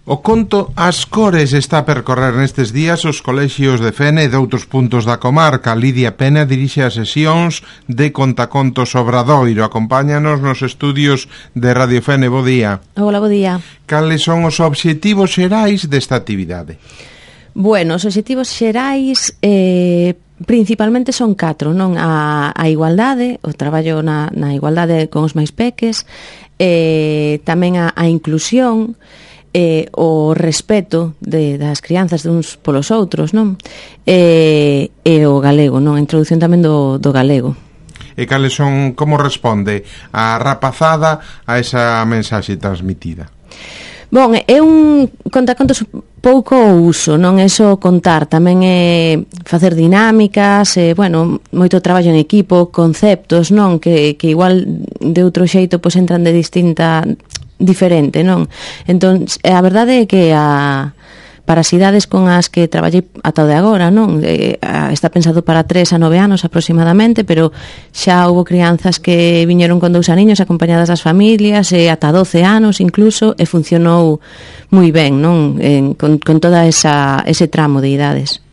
O conto As Cores está a percorrer nestes días os colexios de Fene e de outros puntos da comarca. Lidia Pena dirixe as sesións de Contacontos Obradoiro. Acompáñanos nos estudios de Radio Fene. Bo día. Hola, bo día. Cales son os obxectivos xerais desta actividade? Bueno, os obxectivos xerais principalmente son 4, non? A igualdade, o traballo na igualdade con os máis peques, tamén a inclusión, o respeto das crianzas de uns polos outros, non? E o galego, non? A introdución tamén do galego. E cales son, como responde a rapazada a esa mensaxe transmitida? Bon, é un contacontos pouco uso, non é só contar, tamén é facer dinámicas, bueno, moito traballo en equipo, conceptos, non? Que igual de outro xeito pois entran de diferente, non? Entón, a verdade é que para as idades con as que traballei ata o de agora, non? Está pensado para 3 a 9 anos aproximadamente, pero xa houve crianzas que viñeron con 2 aniños acompañadas das familias, e ata 12 anos incluso, e funcionou moi ben, non? Con toda ese tramo de idades.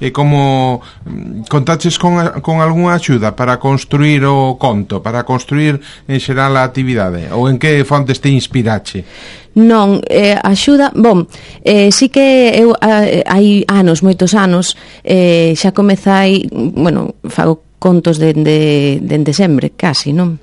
E como contaches con algunha axuda para construir o conto, para construir en xeral a actividade? Ou en que fontes te inspirache? Non, axuda, sí que eu hai anos, moitos anos, xa comezai, bueno, fago contos dende sempre, casi, non?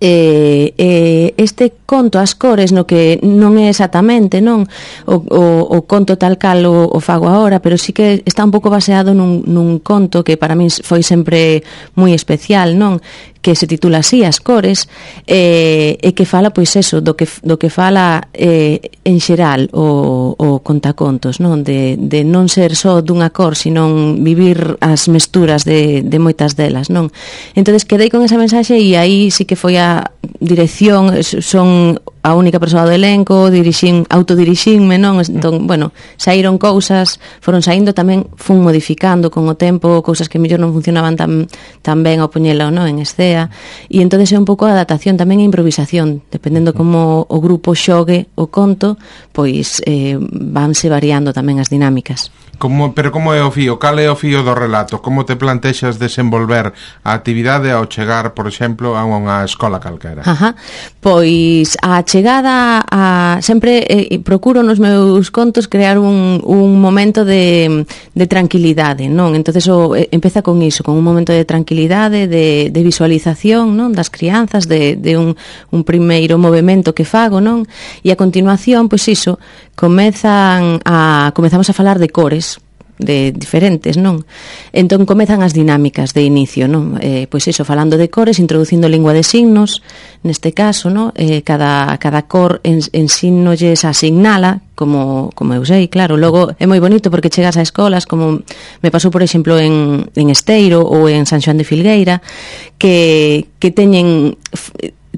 Este conto As Cores, no que non é exactamente, non, o conto tal cal o fago agora, pero sí que está un pouco baseado nun conto que para min foi sempre moi especial, non, que se titula así, As Cores, e que fala, pois eso, do que fala en xeral o contacontos, non, de non ser só dunha cor, sino vivir as mesturas de moitas delas, non. Entonces quedei con esa mensaxe e aí sí que foi a dirección, son a única persoa do elenco, autodirixinme, non? Entón, bueno, saíron cousas, foron saindo, tamén fun modificando con o tempo, cousas que mellor non funcionaban tan ben ao poñelo, non, en escena, e entonces é un pouco a adaptación, tamén a improvisación, dependendo como o grupo xogue o conto, pois vanse variando tamén as dinámicas. Pero como é o fío? Cal é o fío do relato? Como te plantexas desenvolver a actividade ao chegar, por exemplo, a unha escola calquera? Pois a chegada sempre procuro nos meus contos crear un momento de tranquilidade, non? Entonces empeza con iso, con un momento de tranquilidade, de visualización, non? Das crianzas, de un primeiro movimento que fago, non? E a continuación, pois iso, comezamos a falar de cores de diferentes, non? Entón comezan as dinámicas de inicio, non? Pois iso, falando de cores, introducindo lingua de signos, neste caso, non? Cada cor en signolles asignala, como eu sei, claro. Logo é moi bonito porque chegas a escolas, como me pasou, por exemplo, en Esteiro ou en San Xoán de Filgueira, que teñen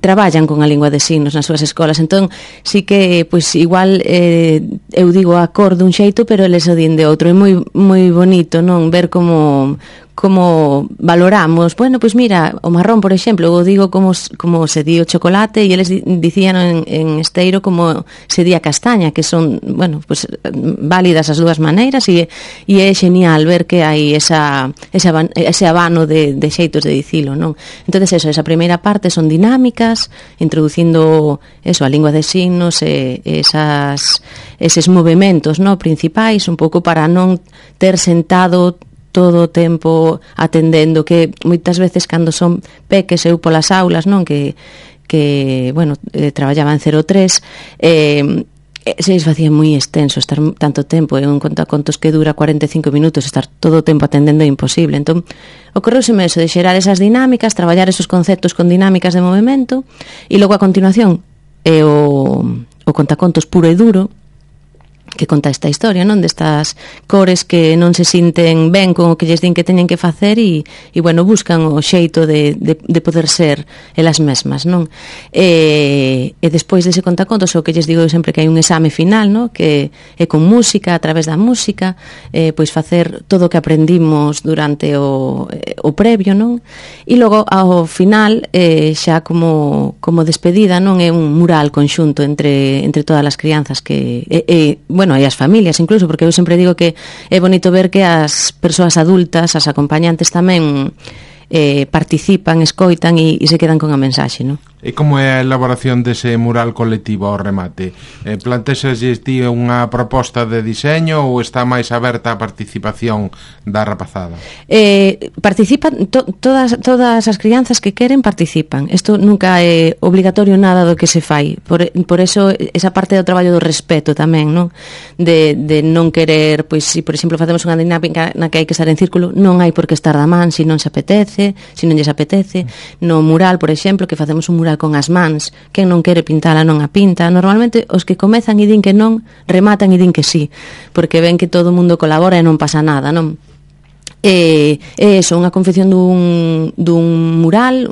traballan con a lingua de signos nas súas escolas. Entón, sí que, pois, igual eu digo a cor dun xeito, pero eles o din de outro. É moi bonito, non? Ver como valoramos. Bueno, pois mira, o marrón, por exemplo, eu digo como se di o chocolate, e eles dicían en Esteiro como se di a castaña, que son, bueno, pois válidas as dúas maneiras, e é genial ver que hai ese abano de xeitos de dicilo, non? Entonces, esa primeira parte son dinámicas, introducindo a lingua de signos, eses movementos, non, principais, un pouco para non ter sentado todo o tempo atendendo, que moitas veces cando son peques eu polas aulas, non, que bueno, traballaba en 03, se les facía moi extenso estar tanto tempo en un contacontos que dura 45 minutos, estar todo o tempo atendendo é imposible. Entón, ocorreuseme eso de xerar esas dinámicas, traballar esos conceptos con dinámicas de movimento, e logo a continuación o contacontos puro e duro, que conta esta historia, non? Destas cores que non se sinten ben con o que lles din que teñen que facer e bueno, buscan o xeito de poder ser elas mesmas, non? E despois dese contacontos, o que lles digo sempre que hai un exame final, non? Que é con música, a través da música, pois facer todo o que aprendimos durante o previo, non? E logo, ao final, xa como despedida, non? É un mural conxunto entre todas as crianzas que... bueno, e as familias incluso, porque eu sempre digo que é bonito ver que as persoas adultas, as acompañantes tamén participan, escoitan e se quedan con a mensaxe, non? E como é a elaboración dese mural colectivo ao remate? Plantexaslle ti unha proposta de diseño ou está máis aberta a participación da rapazada? Participan todas as crianzas que queren participan. Isto nunca é obligatorio nada do que se fai. Por eso esa parte do traballo do respeto tamén, non? De non querer, pois se por exemplo facemos unha dinámica na que hai que estar en círculo, non hai por que estar da man se non se apetece, se non lles apetece. No mural, por exemplo, que facemos un mural con as mans, quen non quere pintala non a pinta. Normalmente os que comezan e din que non, rematan e din que sí, porque ven que todo o mundo colabora e non pasa nada, non? É iso, unha confección dun mural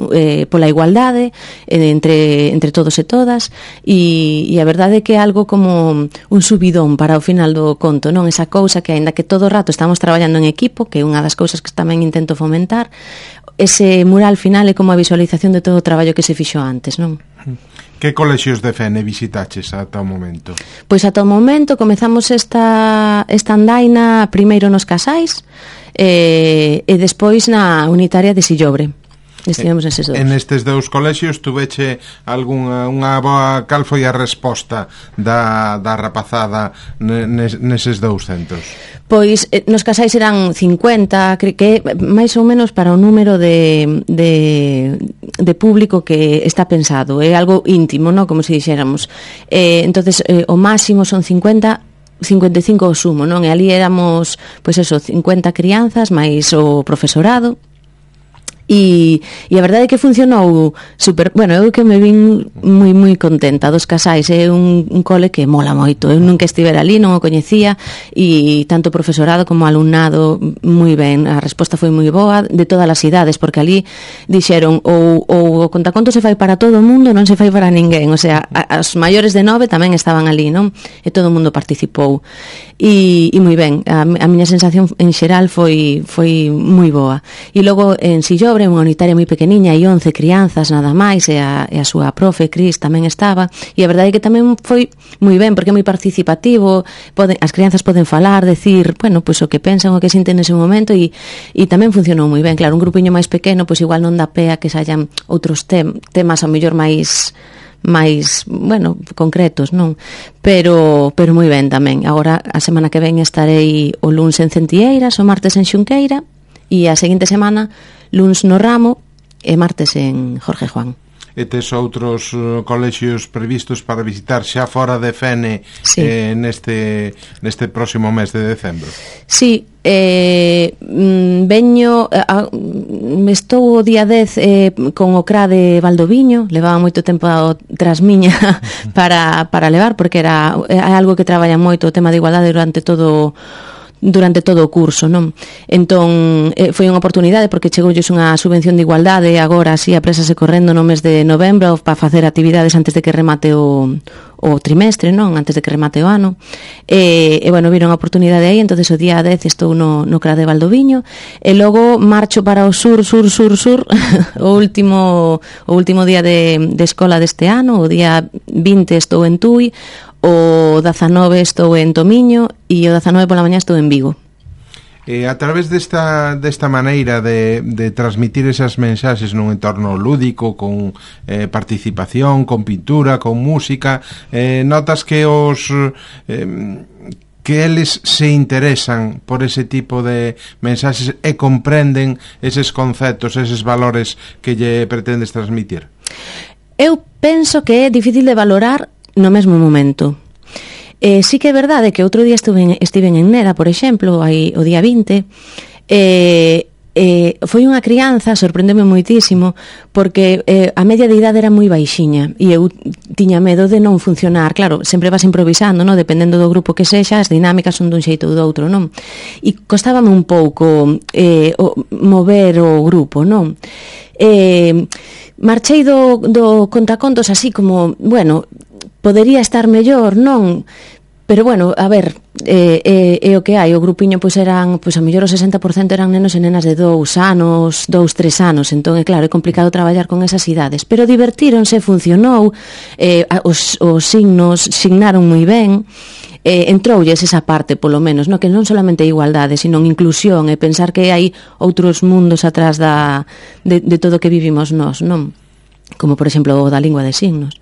pola igualdade entre todos e todas e a verdade é que é algo como un subidón para o final do conto, non? Esa cousa que aínda que todo o rato estamos traballando en equipo, que é unha das cousas que tamén intento fomentar, ese mural final é como a visualización de todo o traballo que se fixo antes, non? Que colexios de Fene visitaches ata o momento? Pois ata o momento comezamos esta andaina primeiro nos Casais e despois na unitaria de Sillobre. Estivemos neses dous. En estes dous colexios tuveche unha boa... Cal foi a resposta da rapazada neses dous centros? Pois nos Casais eran 50, que máis ou menos para o número de público que está pensado. É algo íntimo, non? Como se dixéramos. Entonces o máximo son 50, 55 o sumo, non? E ali éramos, pois eso, 50 crianzas máis o profesorado. E a verdade é que funcionou super, bueno, eu que me vin moi contenta dos Casais, é un cole que mola moito, eu nunca estivera ali, non o coñecía e tanto o profesorado como o alumnado moi ben, a resposta foi moi boa de todas as idades, porque ali dixeron ou o contaconto se fai para todo o mundo, non se fai para ninguén, o sea, as maiores de 9 tamén estaban ali, non? E todo o mundo participou e moi ben, a miña sensación en xeral foi moi boa. E logo en Sillobre, unha unitaria moi pequeniña e 11 crianzas nada máis e a súa profe, Cris, tamén estaba e a verdade é que tamén foi moi ben porque é moi participativo, as crianzas poden falar, decir, bueno, pois o que pensan, o que sinten nese momento e tamén funcionou moi ben. Claro, un grupiño máis pequeno, pois igual non dá pé a que sayan outros temas ao mellor máis, bueno, concretos, non? Pero moi ben tamén. Agora, a semana que ven estarei o luns en Centieiras, o martes en Xunqueira e a seguinte semana luns no Ramo e martes en Jorge Juan. E tes outros colexios previstos para visitar xa fora de Fene, sí, neste próximo mes de decembro? Sí, veño estou o día 10 con o CRA de Valdoviño, levaba moito tempo tras miña para levar, porque era algo que traballa moito o tema de igualdade durante todo o curso, non? Entón, foi unha oportunidade porque chegoulles unha subvención de igualdade agora así aprésase correndo no mes de novembro para facer actividades antes de que remate o trimestre, non? Antes de que remate o ano. E bueno, viron a oportunidade aí, entonces o día 10 estou no CRA de Valdoviño e logo marcho para o sur o último día de escola deste ano, o día 20 estou en Tui, o 19 estou en Tomiño e o 19 pola mañá estou en Vigo. A través desta maneira de transmitir esas mensaxes nun entorno lúdico, con participación, con pintura, con música, notas que que eles se interesan por ese tipo de mensaxes e comprenden eses conceptos, eses valores que lle pretendes transmitir? Eu penso que é difícil de valorar no mesmo momento. Sí que é verdade que outro día estiven en Neda, por exemplo, aí o día 20, foi unha crianza, sorprendeme moitísimo, porque a media de idade era moi baixiña e eu tiña medo de non funcionar. Claro, sempre vas improvisando, non? Dependendo do grupo que sexa, as dinámicas son dun xeito ou do outro, non? E costábame un pouco mover o grupo, non? Marchei do contacontos así como, bueno, podería estar mellor, non? Pero bueno, a ver, é o que hai. O grupiño pois eran, pois a mellor o 60% eran nenos e nenas de 2 anos, 2-3 anos. Entón, é claro, é complicado traballar con esas idades. Pero divertíronse, funcionou, os signaron moi ben. Entroulles esa parte, polo menos, no? Que non solamente igualdade, sino inclusión, e pensar que hai outros mundos atrás de todo o que vivimos nós, non? Como, por exemplo, o da lingua de signos.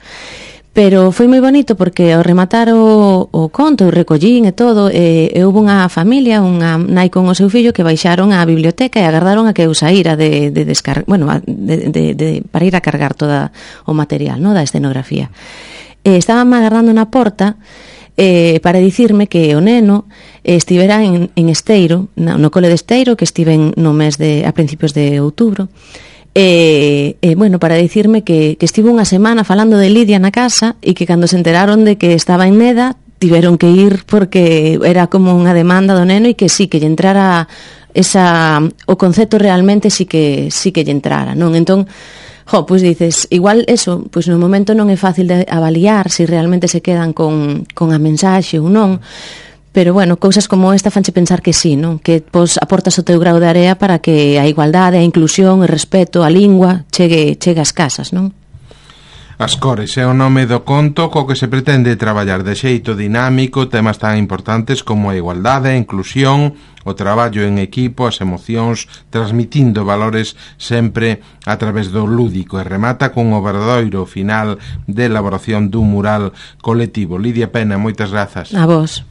Pero foi moi bonito porque ao rematar o conto, o recollín e todo, houve unha familia, unha nai con o seu fillo que baixaron á biblioteca e agardaron a que eu saíra de descargar, bueno, para ir a cargar todo o material, no, da escenografía. Estaban agardando na porta para dicirme que o neno estivera en Esteiro, no cole de Esteiro, que estiven no mes a principios de outubro. Bueno, para dicirme que estivo unha semana falando de Lidia na casa e que cando se enteraron de que estaba en Neda tiveron que ir porque era como unha demanda do neno e que sí, que lle entrara o concepto realmente sí que lle entrara, non? Entón, pois dices, igual eso, pois no momento non é fácil de avaliar se realmente se quedan con a mensaxe ou non. Pero, bueno, cousas como esta fanche pensar que sí, non? Que pois aportas o teu grau de area para que a igualdade, a inclusión, o respeto, a lingua chegue ás casas, non? As cores é o nome do conto co que se pretende traballar de xeito dinámico temas tan importantes como a igualdade, a inclusión, o traballo en equipo, as emocións, transmitindo valores sempre a través do lúdico, e remata cun obradoiro final de elaboración dun mural colectivo. Lidia Pena, moitas grazas. A vos.